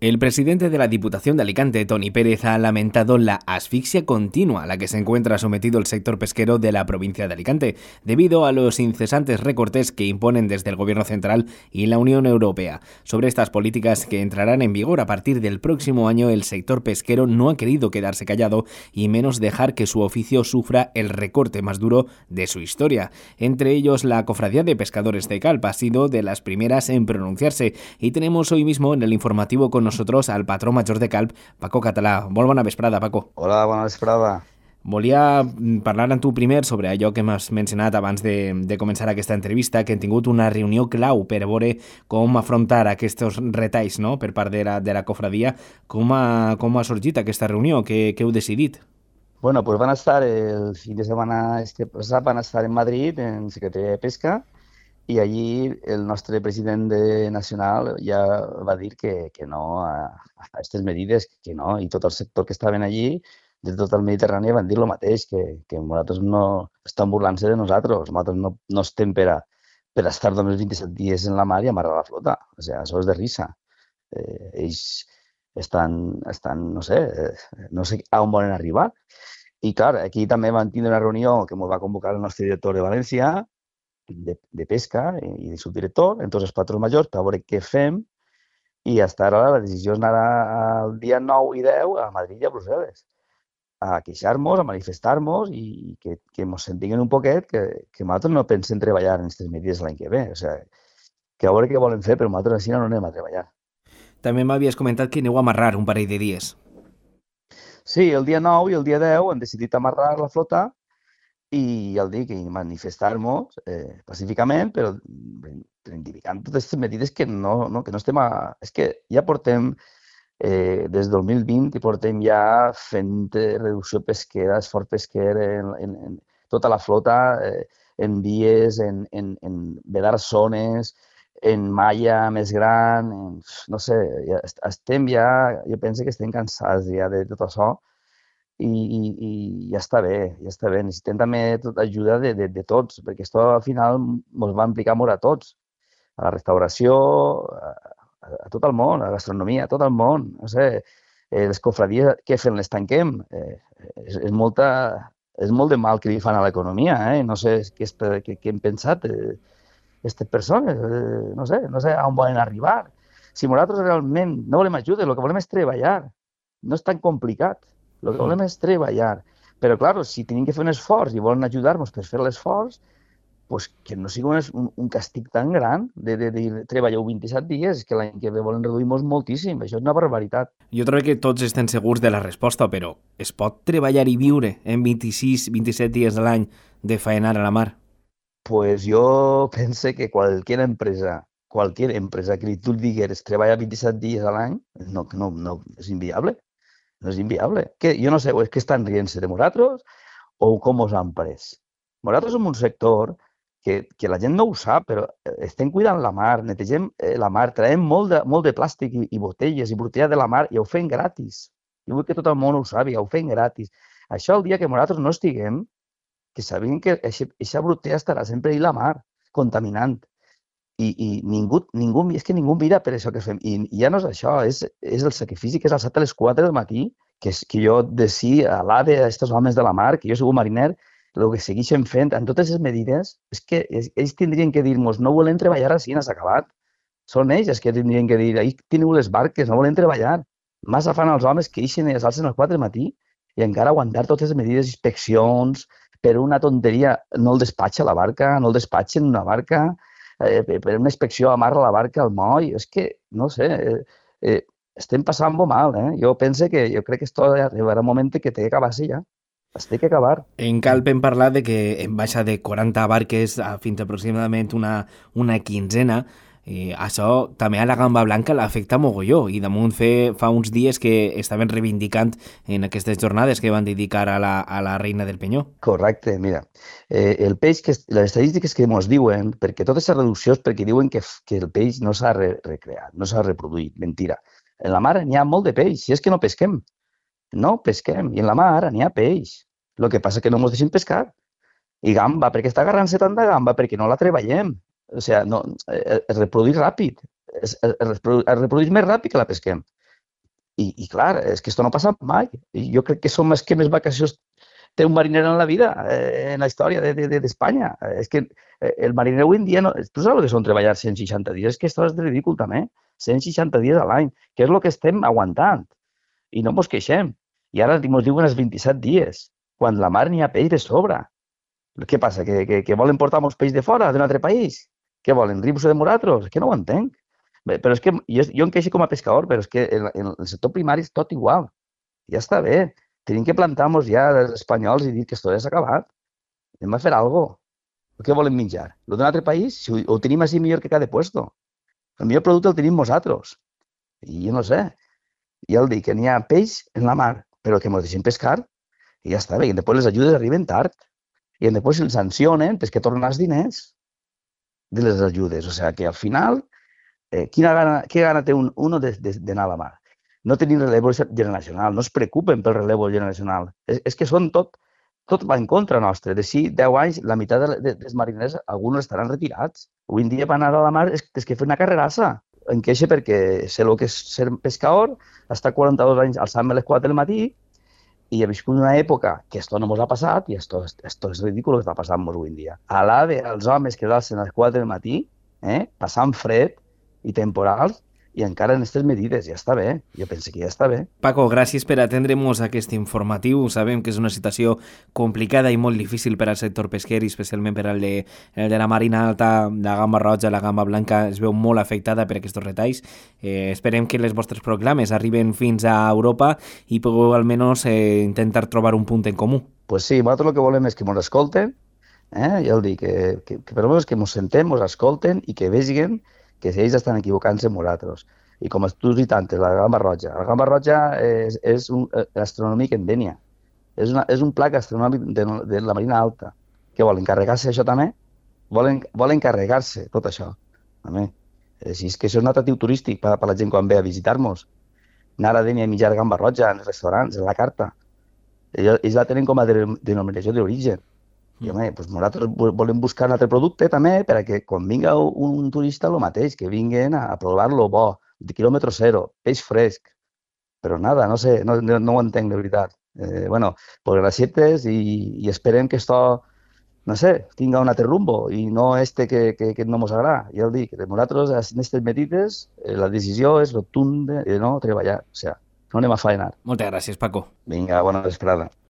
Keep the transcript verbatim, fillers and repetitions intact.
El presidente de la Diputación de Alicante, Toni Pérez, ha lamentado la asfixia continua a la que se encuentra sometido el sector pesquero de la provincia de Alicante, debido a los incesantes recortes que imponen desde el Gobierno central y la Unión Europea. Sobre estas políticas que entrarán en vigor a partir del próximo año, el sector pesquero no ha querido quedarse callado y menos dejar que su oficio sufra el recorte más duro de su historia. Entre ellos, la Cofradía de Pescadores de Calp ha sido de las primeras en pronunciarse y tenemos hoy mismo en el informativo con nosotros al patró major de Calp, Paco Català. Molt bona vesprada, Paco. Hola, bona vesprada. Volia parlar amb tu primer sobre allò que m'has mencionat abans de, de començar aquesta entrevista, que hem tingut una reunió clau per veure com afrontar aquests retalls, no?, per part de la, de la cofradia. Com ha, com ha sorgit aquesta reunió? Què, què heu decidit? Bueno, pues van a estar el fin de semana este pasado, van a estar en Madrid, en Secretaría de Pesca, i allí el nostre president de nacional ja va dir que, que no a, a aquestes medides, que no, i tot el sector que estaven allí, de tot el Mediterrani, van dir el mateix, que, que nosaltres no estan burlant-se de nosaltres, nosaltres no, no estem per a, per a estar només vint-i-set dies en la mar i amarrar la flota, o sigui, això és de risa. Eh, ells estan, estan, no sé, eh, no sé a on volen arribar. I clar, aquí també van tindre una reunió que ens va convocar el nostre director de València, De, de pesca i de subdirector, en tots els patrons majors, per veure què fem, i hasta ara la decisió és anar el dia nou i deu a Madrid i a Brussel·les a queixar-nos, a manifestar-nos i que, que ens sentiguen un poquet que, que nosaltres no pensem treballar en aquestes medides l'any que ve. O sigui, que a veure què volen fer, però nosaltres així no anem a treballar. També m'havies comentat que aneu a amarrar un parell de dies. Sí, el dia nou i el dia deu han decidit amarrar la flota i el dic, i manifestar-nos eh, pacíficament, però reivindicant totes aquestes medides que no, no, que no estem a... És que ja portem, eh, des del dos mil vint, i portem ja fent reducció pesquera, esforç pesquer en, en, en tota la flota, eh, en vies, en, en, en vedar zones, en malla més gran, en, no sé, ja estem ja, jo penso que estem cansats ja de tot això, I, i, i ja està bé, ja està bé. Necessitem també tot, ajuda de, de, de tots, perquè això al final ens va implicar molt a tots, a la restauració, a, a tot el món, a la gastronomia, a tot el món. No sé, eh, les cofradies, què fem? Les tanquem? Eh, és, és, molta, és molt de mal que li fan a l'economia, eh? No sé què, què, què han pensat aquestes eh, persones, eh, no sé, no sé a on volen arribar. Si nosaltres realment no volem ajuda, el que volem és treballar, no és tan complicat. El que volem és treballar. Però, clar, si tenim que fer un esforç i volen ajudar-nos per fer l'esforç, pues que no sigui un, un castig tan gran de, de, de treballar vint-i-set dies, que l'any que ve volen reduir-nos moltíssim. Això és una barbaritat. Jo trobo que tots estem segurs de la resposta, però es pot treballar i viure en vint-i-sis vint-i-set dies de l'any de faenar a la mar? Pues jo pense que qualsevol empresa, qualsevol empresa que tu digueres treballar vint-i-set dies a l'any, no, no, no, és inviable. No és inviable. Que, jo no sé, és que estan rient-se de nosaltres o com us han pres. Nosaltres som un sector que, que la gent no ho sap, però estem cuidant la mar, netegem la mar, traiem molt de, molt de plàstic i, i botelles i botella de la mar i ho fem gratis. Jo vull que tot el món ho sàpiga, ho fem gratis. Això el dia que nosaltres no estiguem, que sabem que aquesta botella estarà sempre a la mar, contaminant. I, i ningú, ningú, és que ningú mira per això que fem. I, i ja no és això, és, és el sacrifici que és al set a les quatre del matí, que, és, que jo de si a l'ave a aquests homes de la mar, que jo soc un mariner, el que segueixen fent, en totes les medides, és que ells tindrien que dir-nos no volem treballar així, n'has acabat. Són ells els que tindrien que dir, ahí teniu les barques, no volem treballar. Massa fan els homes que ixen i es alcen als quatre del matí i encara aguantar totes les medides, inspeccions, per una tonteria, no el despatxa la barca, no el despatxen una barca, Eh, per una inspecció amarra la barca al moll, és que, no sé, eh, eh, estem passant molt mal, eh? Jo penso que, jo crec que esto arribarà un moment que té que acabar-se ja, es té que acabar. En Calp hem parlat de que en baixa de quaranta barques a fins aproximadament una, una quinzena. I això també a la Gamba Blanca l'afecta mogolló i damunt fe, fa uns dies que estaven reivindicant en aquestes jornades que van dedicar a la, a la reina del Penyó. Correcte, mira, eh, el peix, que, les estadístiques que ens diuen, perquè totes les reduccions perquè diuen que, que el peix no s'ha re recreat, no s'ha reproduït, mentira. En la mar n'hi ha molt de peix, si és que no pesquem, no pesquem, i en la mar n'hi ha peix, el que passa que no ens deixem pescar. I gamba, perquè està agarrant-se tant de gamba, perquè no la treballem. O sigui, no, es reprodueix ràpid, es, es, reprodueix, es reprodueix més ràpid que la pesquem. I, i clar, és que això no passa mai. I jo crec que són més que més vacacions té un mariner en la vida, eh, en la història d'Espanya. De, de, és que eh, el mariner avui en dia, no, tu saps el que són treballar cent seixanta dies? És que això és ridícul també, cent seixanta dies a l'any, que és el que estem aguantant. I no ens queixem. I ara ens diuen els vint-i-set dies, quan la mar n'hi ha peix de sobre. Què passa? Que, que, que volen portar molts peix de fora, d'un altre país? Què volen? Rius de moratros? És que no ho entenc. Bé, però és que jo, jo em queixo com a pescador, però és que en, en el sector primari és tot igual. Ja està bé. Tenim que plantar-nos ja els espanyols i dir que esto ja s'ha acabat. Anem a fer alguna cosa. Què volen menjar? El d'un altre país? Si ho, ho tenim així millor que cada puesto. El millor producte el tenim nosaltres. I jo no sé. Ja el dic, que n'hi ha peix en la mar, però que ens deixem pescar i ja està bé. I després les ajudes arriben tard. I després els sancionen perquè tornen els diners de les ajudes. O sigui que al final, eh, quina gana, què gana té un, uno d'anar a la mar? No tenim relevo generacional, no es preocupen pel relevo generacional. És, és que són tot, tot va en contra nostre. De si deu anys, la meitat de, de, dels mariners, alguns estaran retirats. Avui en dia per anar a la mar és, és que fer una carrerassa. Em queixa perquè sé el que és ser pescador, està quaranta-dos anys alçant-me a les quatre del matí i he viscut una època que esto no mos ha passat i esto, esto és ridícul que està passant avui en dia. A l'ave, els homes que alcen a les quatre del matí, eh, passant fred i temporals, i encara en aquestes medides, ja està bé. Jo penso que ja està bé. Paco, gràcies per atendre'ns aquest informatiu. Sabem que és una situació complicada i molt difícil per al sector pesquer, especialment per al de, el de la marina alta, la gamba roja, la gamba blanca, es veu molt afectada per aquests retalls. Eh, esperem que les vostres proclames arriben fins a Europa i pugueu almenys eh, intentar trobar un punt en comú. Pues sí, nosaltres el que volem és que ens escolten, eh? ja el dic, que, que, que per almenys que ens sentem, ens escolten i que vegin que si ells estan equivocant-se amb nosaltres. I com tu has dit antes, la gamba roja. La gamba roja és, és un gastronòmic en Dénia. És, una, és un plat gastronòmic de, de la marina alta. Què volen, carregar-se això també? Volen, volen carregar-se tot això. També. Si és que això és un atractiu turístic per, per la gent quan ve a visitar-nos. Anar a Dénia a menjar gamba roja en els restaurants, en la carta. Ells, ells la tenen com a de, denominació d'origen. I home, doncs nosaltres volem buscar un altre producte també perquè quan vinga un turista el mateix, que vinguin a provar-lo bo, de quilòmetre zero, peix fresc. Però nada, no sé, no, no, no ho entenc de veritat. Eh, bueno, pues gracietes i, i esperem que esto, no sé, tinga un altre rumbo i no este que, que, que no ens agrada. Ja el dic, nosaltres en aquestes medides eh, la decisió és rotunda de no treballar, o sigui, no anem a faenar. Moltes gràcies, Paco. Vinga, bona vesprada.